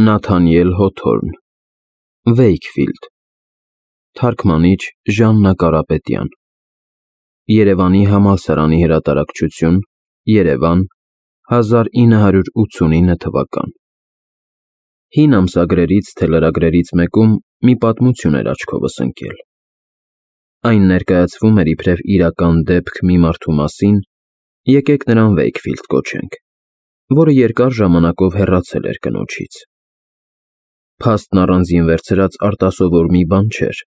Նաթանիել Հոթորն Վեյքֆիլդ Թարգմանիչ Ժաննա Կարապետյան Երևանի համալսարանի հրատարակչություն Երևան 1989 թվական Հին ամսագրերից թե լրագրերից մեկում մի պատմություն էր աչքովս ընկել։ Այն ներկայացվում էր իբրև իրական դեպք մի մարդու մասին, եկեք նրան Վեյքֆիլդ կոչենք, որը երկար ժամանակով հեռացել էր կնոջից։ Փաստն առանձին վերցրած արտասովոր մի բան չէր,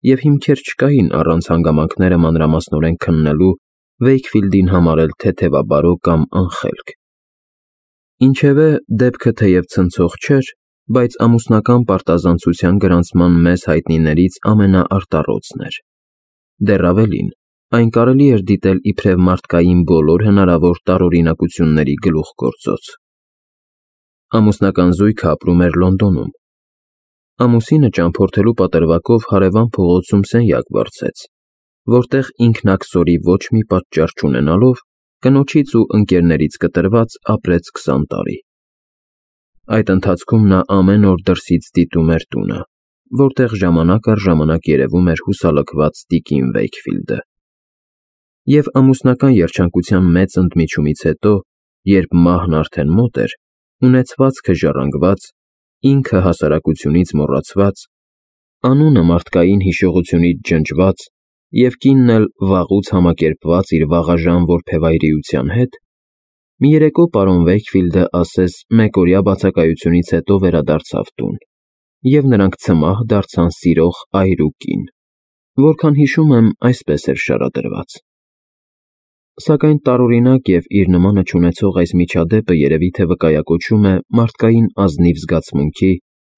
և հիմքեր չկային առանց հանգամանքները մանրամասնորեն քննելու Վեյքֆիլդին համարել թեթևաբարո կամ անխելք։ Ինչևէ, դեպքը թեև ցնցող չէր, բայց ամուսնական պարտազանցության գրանցման մեզ հայտնիներից ամենաարտառոցն էր։ Դեռ ավելին, այն կարելի էր դիտել իբրև մարդկային բոլոր հնարավոր տարօրինակությունների գլուխգործոց։ Ամուսնական զույգը ապրում էր Լոնդոնում։ Ամուսինը ճամփորդելու պատրվակով հարևան փողոցում սենյակ վարձեց, որտեղ ինքնաքսորի ոչ մի պատճառ չունենալով, կնոջից ու ընկերներից կտրված ապրեց 20 տարի։ Այդ ընթացքում նա ամեն օր դրսից դիտում էր տունը, որտեղ ժամանակ առ ժամանակ երևում էր հուսալքված տիկին Վեյքֆիլդը։ Եվ ամուսնական երջանկության մեծ ընդմիջումից հետո, երբ մահն արդեն մոտ էր, ունեցվածքը ժառանգված, ինքը հասարակությունից մոռացված, անունը մարդկային հիշողությունից ջնջված և կինն էլ վաղուց համակերպված իր վաղաժամ որբևայրիության հետ, մի երեկո պարոն Վեյքֆիլդը ասես մեկօրյա բացակայությունից հետո վերադարձավ տուն, և նրանք ցմահ դարձան սիրող այր ու կին, որքան հիշում եմ, այսպես էր շարադրված։ Սակայն տարօրինակ և իր նմանը չունեցող այս միջադեպը երևի թե վկայակոչում է մարդկային ազնիվ զգացմունքի,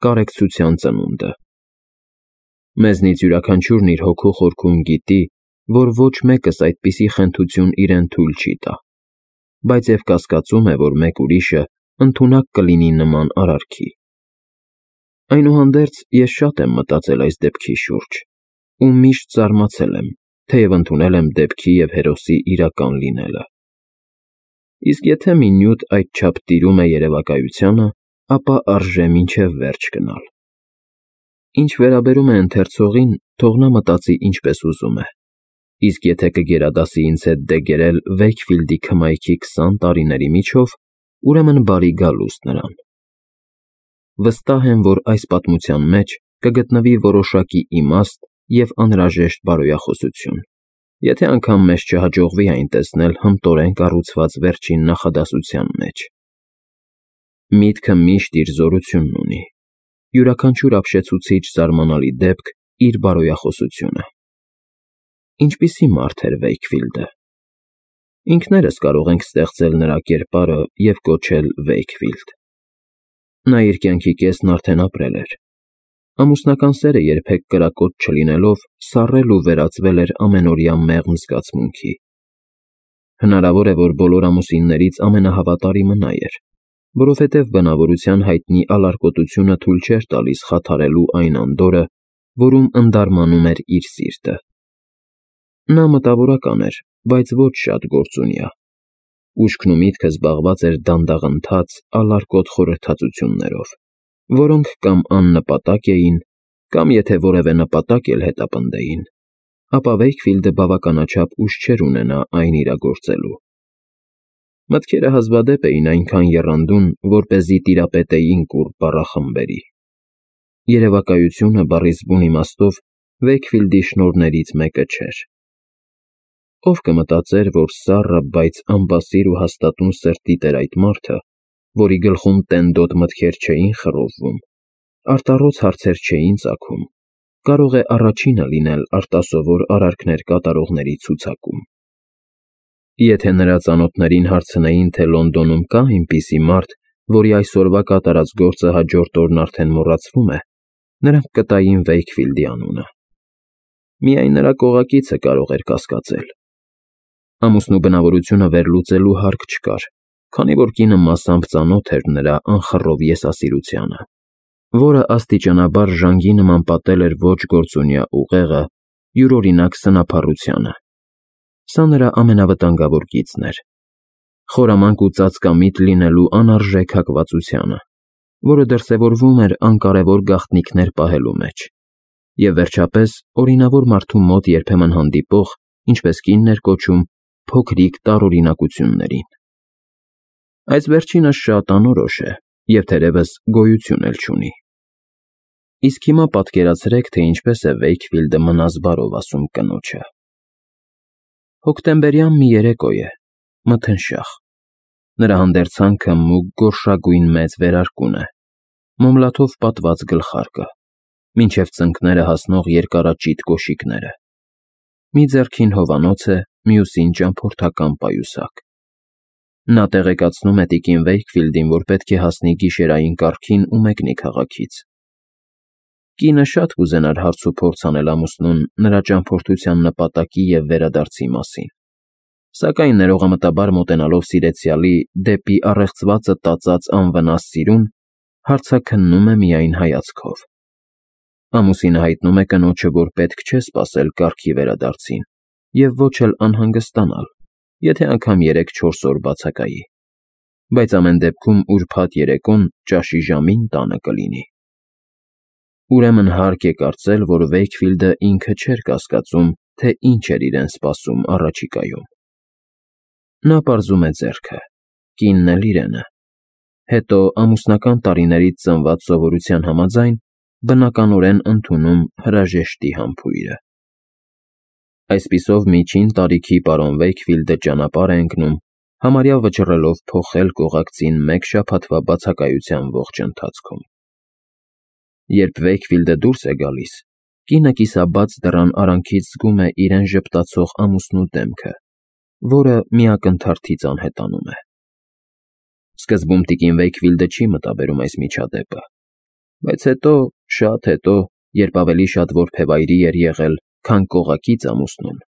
կարեկցության ծնունդը։ Մեզնից յուրաքանչյուրն իր հոգու խորքում գիտի, որ ոչ մեկս այդպիսի խենթություն իրեն թույլ չի տա, բայց և կասկածում է, որ մեկ ուրիշը ընդունակ կլինի նման արարքի։ Այնուհանդերձ, ես շատ եմ մտածել այս դեպքի շուրջ ու միշտ զարմացել եմ, թեև ընդունել եմ դեպքի և հերոսի իրական լինելը։ Իսկ եթե մի նյութ այդչափ տիրում է երևակայությանը, ապա արժե մինչև վերջ գնալ։ Ինչ վերաբերում է ընթերցողին, թող նա մտածի ինչպես ուզում է, իսկ եթե կգերադասի ինձ հետ դեգերել Վեյքֆիլդի քմայքի 20 տարիների միջով, ուրեմն բարի գալուստ նրան։ Վստահ եմ, որ այս պատմության մեջ կգտնվի որոշակի իմաստ և անհրաժեշտ բարոյախոսություն, եթե անգամ մեզ չհաջողվի այն տեսնել հմտորեն կառուցված վերջին նախադասության մեջ։ Միտքը միշտ իր զորությունն ունի, յուրաքանչյուր ապշեցուցիչ զարմանալի դեպք իր բարոյախոսությունը։ Ինչպիսի մարդ էր Վեյքֆիլդը։ Ինքներս կարող ենք ստեղծել նրա կերպարը և կոչել Վեյքֆիլդ։ Նա իր կյանքի կեսն արդեն ապրել էր։ Ամուսնական սերը երբեք կրակոտ չլինելով, սառել ու վերածվել էր ամենօրյա մեղմ զգացմունքի։ Հնարավոր է, որ բոլոր ամուսիններից ամենահավատարիմը նա էր, որովհետև բնավորության հայտնի ալարկոտությունը թույլ չէր տալիս խաթարելու այն անդորրը, որում ընդարմանում էր իր սիրտը։ Նա մտավորական էր, բայց ոչ շատ գործունյա։ Ուշքն ու միտքը զբաղված էր դանդաղընթաց, ալարկոտ խորհրդածություններով, որոնք կամ աննպատակ էին, կամ եթե որևէ նպատակ էլ հետապնդեին, ապա Վեյքֆիլդը բավականաչափ ուժ չէր ունենա այն իրագործելու։ Մտքերը հազվադեպ էին այնքան եռանդուն, որպեսզի տիրապետեին կուռ բառախմբերի։ Երևակայությունը բառիս բուն իմաստով Վեյքֆիլդի շնորհներից մեկը չէր։ Ով կմտածեր, որ սառը, բայց անբասիր ու հաստատուն սրտիտ էր այդ մարդը, որի գլխում տենդոտ մտքեր չէին խռովվում, արտառոց հարցեր չէին ծագում, կարող է առաջինը լինել արտասովոր արարքներ կատարողների ցուցակում։ Եթե նրա ծանոթներին հարցնեին, թե Լոնդոնում կա այնպիսի մարդ, որի այսօրվա կատարած գործը հաջորդ օրն արդեն մոռացվում է, նրանք կտային Վեյքֆիլդի անունը։ Միայն նրա կողակիցը կարող էր կասկածել։ Ամուսնու բնավորությունը վերլուծելու հարկ չկար, քանի որ կինը մասամբ ծանոթ էր նրա անխռով եսասիրությանը, որը աստիճանաբար ժանգի նման պատել էր ոչ գործունյա ուղեղը յուրօրինակ սնափառությանը։ Սա նրա ամենավտանգավոր գիծն էր՝ խորամանկ ու ծածկամիտ լինելու անարժեք հակվածությանը, որը դրսևորվում էր անկարևոր գաղտնիքներ պահելու մեջ, և վերջապես օրինավոր մարդու մոտ երբեմն հանդիպող, ինչպես կինն էր կոչում, փոքրիկ տարօրինակություններին։ Այս վերջինը շատ անորոշ է և թերևս գոյություն էլ չունի։ Իսկ հիմա պատկերացրեք, թե ինչպես է Վեյքֆիլդը մնազբարով ասում կնոջը. Հոկտեմբերյան մի երեկո է, մթնշաղ։ Նրա հանդերձանքը մուգ գորշագույն մեծ վերարկուն է, մոմլաթով պատված գլխարկը, մինչև ծնկները հասնող երկարաճիտ կոշիկները։ Մի ձեռքին հովանոց է, մյուսին ճամփորդական պայուսակ։ Նա տեղեկացնում է տիկին Վեյքֆիլդին, որ պետք է հասնի գիշերային կառքին ու մեկնի քաղաքից։ Կինը շատ կուզենար հարցուփորձ անել ամուսնուն նրա ճամփորդության նպատակի և վերադարձի մասին, սակայն ներողամտաբար մոտենալով սիրեցյալի դեպի առեղծվածը տածած անվնաս սիրուն, հարցաքննում է միայն հայացքով։ Ամուսինը հայտնում է կնոջը, որ պետք չէ սպասել կառքի վերադարձին և ոչ էլ անհանգստանալ, եթե անգամ 3-4 օր բացակայի, բայց ամեն դեպքում ուրբաթ երեկոն ճաշի ժամին տանը կլինի։ Ուրեմն հարկ է կարծել, որ Վեյքֆիլդը ինքը չէր կասկածում, թե ինչ էր իրեն սպասում առաջիկայում։ Նա պարզում է ձեռքը, կինն էլ իրենը, հետո ամուսնական տարիներից ծնված սովորության համաձայն բնականորեն ընդունում հրաժեշտի համբույրը։ Այսպիսով միջին տարիքի պարոն Վեյքֆիլդը ճանապարհ է ընկնում, համարյա վճռելով փոխել կողակցին մեկ շաբաթվա բացակայության ողջ ընթացքում։ Երբ Վեյքֆիլդը դուրս է գալիս, կինը կիսաբաց դռան արանքից զգում է իրեն ժպտացող ամուսնու դեմքը, որը մի ակնթարթից անհետանում է։ Սկզբում տիկին Վեյքֆիլդը չի մտաբերում այս միջադեպը, բայց հետո, շատ հետո, երբ ավելի շատ որբևայրի էր եղել, քան կողակից ամուսնուն,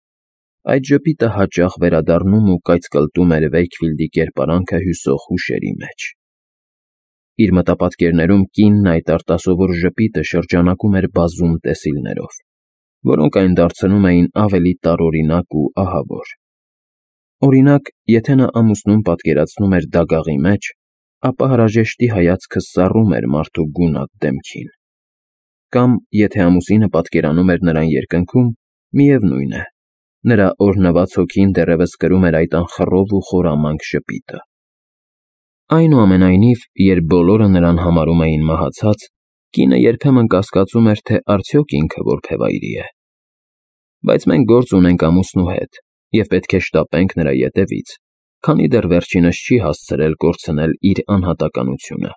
այդ ժպիտը հաճախ վերադառնում ու կայծկլտում էր Վեյքֆիլդի կերպարանքը հյուսող հուշերի մեջ։ Իր մտապատկերներում կինն այդ արտասովոր ժպիտը շրջանակում էր բազում տեսիլներով, որոնք այն դարձնում էին ավելի տարօրինակ ու ահավոր։ Օրինակ, եթե նա ամուսնուն պատկերացնում էր դագաղի մեջ, ապա հրաժեշտի հայացքը սառում էր մարդու գունատ դեմքին։ Կամ, եթե ամուսինը պատկերանում էր նրան երկնքում, միևնույն է, նրա օրհնված հոգին դեռևս կրում էր այդ անխռով ու խորամանկ ժպիտը։ Այնուամենայնիվ, երբ բոլորը նրան համարում էին մահացած, կինը երբեմն կասկածում էր, թե արդյոք ինքը որբևայրի է։ Բայց մենք գործ ունենք ամուսնու հետ և պետք է շտապենք նրա ետևից, քանի դեռ վերջինս չի հասցրել կորցնել իր անհատականությունը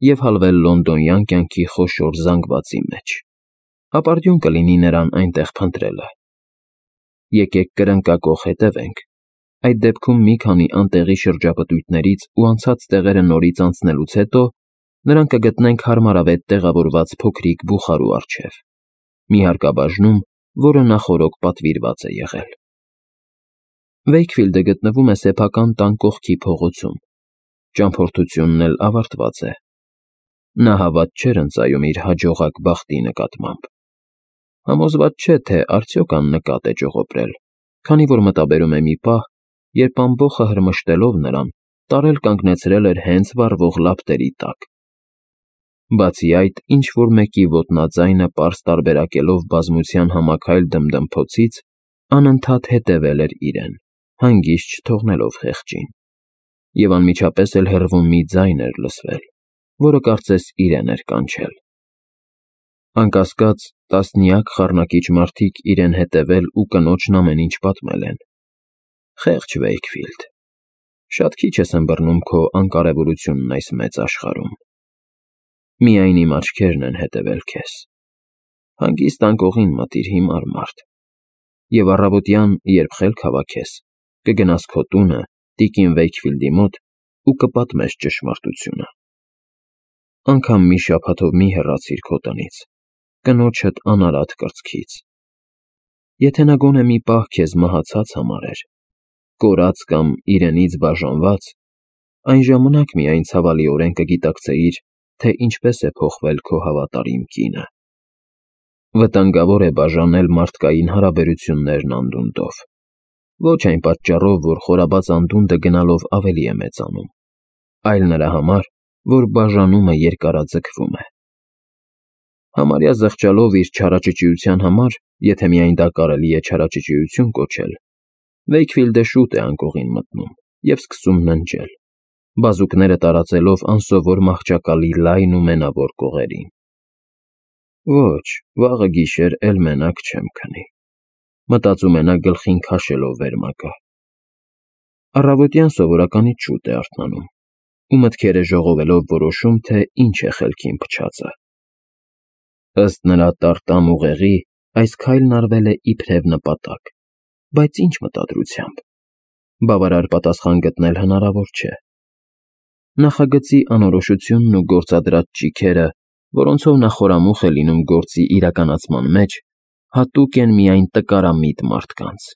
և հալվել լոնդոնյան կյանքի խոշոր զանգվածի մեջ։ Ապարդյուն կլինի նրան այնտեղ փնտրելը։ Եկեք կրնկակոխ հետևենք։ Այդ դեպքում մի քանի անտեղի շրջապտույտներից ու անցած տեղերը նորից անցնելուց հետո նրան կգտնենք հարմարավետ տեղավորված փոքրիկ բուխարու առջև, մի հարկաբաժնում, որը նախօրոք պատվիրված է եղել։ Վեյքֆիլդը գտնվում է սեփական տան կողքի փողոցում։ Ճամփորդությունն էլ ավարտված է։ Նա հավատ չէր ընծայում իր հաջողակ բախտի նկատմամբ։ Համոզված չէ, թե արդյոք աննկատ է ճողոպրել, քանի որ մտաբերում է մի պահ, երբ ամբոխը հրմշտելով նրան, տարել կանգնեցրել էր հենց վառվող լապտերի տակ։ Բացի այդ, ինչ-որ մեկի ոտնաձայնը պարզ տարբերակելով բազմության համաքայլ դմդմփոցից, անընդհատ հետևել էր իրեն, հանգիստ չթողնելով խեղճին։ Եվ անմիջապես էլ հեռվում մի ձայն էր լսվել, որը կարծես իրեն էր կանչել։ Անկասկած, տասնյակ խառնակիչ մարդիկ իրեն հետևել ու կնոջն ամեն ինչ պատմել են։ Խեղճ Վեյքֆիլդ, շատ քիչ ես ըմբռնում քո անկարևորությունն այս մեծ աշխարհում։ Միայն իմ աչքերն են հետևել քեզ։ Հանգիստ անկողին մտիր հիմար մարդ։ Եվ առավոտյան, երբ խելք հավաքես, կգնաս քո տունը, տիկին Վեյքֆիլդի մոտ ու կպատմես ճշմարտությունը։ Անգամ մի շաբաթով մի հեռացիր քո տնից, կնոջդ անարատ կրծքից։ Եթե նա գոնե մի պահ քեզ մահացած համարեր, կորած կամ իրենից բաժանված, այն ժամանակ միայն ցավալիորեն կգիտակցեիր, թե ինչպես է փոխվել քո հավատարիմ կինը։ Վտանգավոր է բաժանել մարդկային հարաբերություններն անդունդով։ Ոչ այն պատճառով, որ խորաբաց անդունդը գնալով ավելի է մեծանում, այլ նրա համար, որ բաժանումը երկարաձգվում է։ Համարյա զղջալով իր չարաճճիության համար, եթե միայն դա կարելի է չարաճճիություն կոչել, Վեյքֆիլդը շուտ է անկողին մտնում և սկսում ննջել, բազուկները տարածելով անսովոր մահճակալի լայն ու մենավոր կողերին։ Ոչ, վաղը գիշեր էլ մենակ չեմ քնի, մտածում է նա գլխին քաշելով վերմակը։ Առավոտյան սովորականից շուտ է արթնանում ու մտքերը ժողովելով որոշում, թե ինչ է խելքին փչածը։ Ըստ նրա տարտամ ուղեղի, այս քայլն արվել է իբրև նպատակ, բայց ինչ մտադրությամբ։ Բավարար պատասխան գտնել հնարավոր չէ։ Նախագծի անորոշությունն ու գործադրած ճիգերը, որոնցով նա խորամուխ է լինում գործի իրականացման մեջ, հատուկ են միայն տկարամիտ մարդկանց։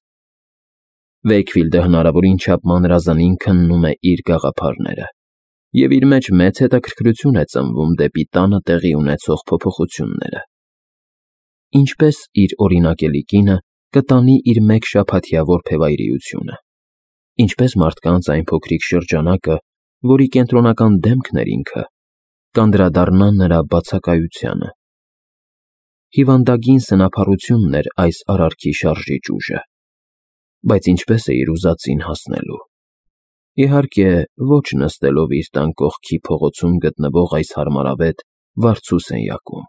Վեյքֆիլդը հնարավորին չափ մանրազնին քննում է իր գաղափարները և իր մեջ մեծ հետաքրքրություն է ծնվում դեպի տանը տեղի ունեցող փոփոխությունները։ Ինչպես իր օրինակելի կինը կտանի իր մեկ շաբաթյա որբևայրիությունը, ինչպես մարդկանց այն փոքրիկ շրջանակը, որի կենտրոնական դեմքն էր ինքը, կանդրադառնա նրա բացակայությանը։ Հիվանդագին սնափառությունն էր այս արարքի շարժիչ ուժը, բայց ինչպես է իր ուզածին հասնելու։ Իհարկե, ոչ նստելով իր տան կողքի փողոցում գտնվող այս հարմարավետ, վարձու սենյակում։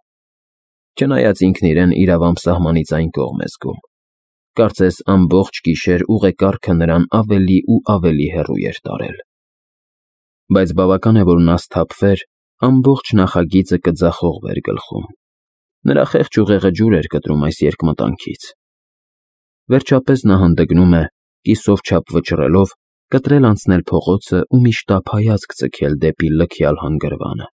Չնայած ինքն իրեն իրավամբ սահմանից այն կողմ է զգում, կարծես ամբողջ գիշեր ուղեկարգը նրան ավելի ու ավելի հեռու էր տարել։ Բայց բավական է, որ նա սթափվեր, ամբողջ նախագիծը կձախողվեր գլխում։ Նրա խեղճ ուղեղը ջուր էր կտրում այս երկմտանքից։ Վերջապես նա հանդգնում է, կիսով չափ վճռելով, կտրել անցնել փողոցը ու մի շտապ հայացք ձգել դեպի լքյալ հանգրվանը։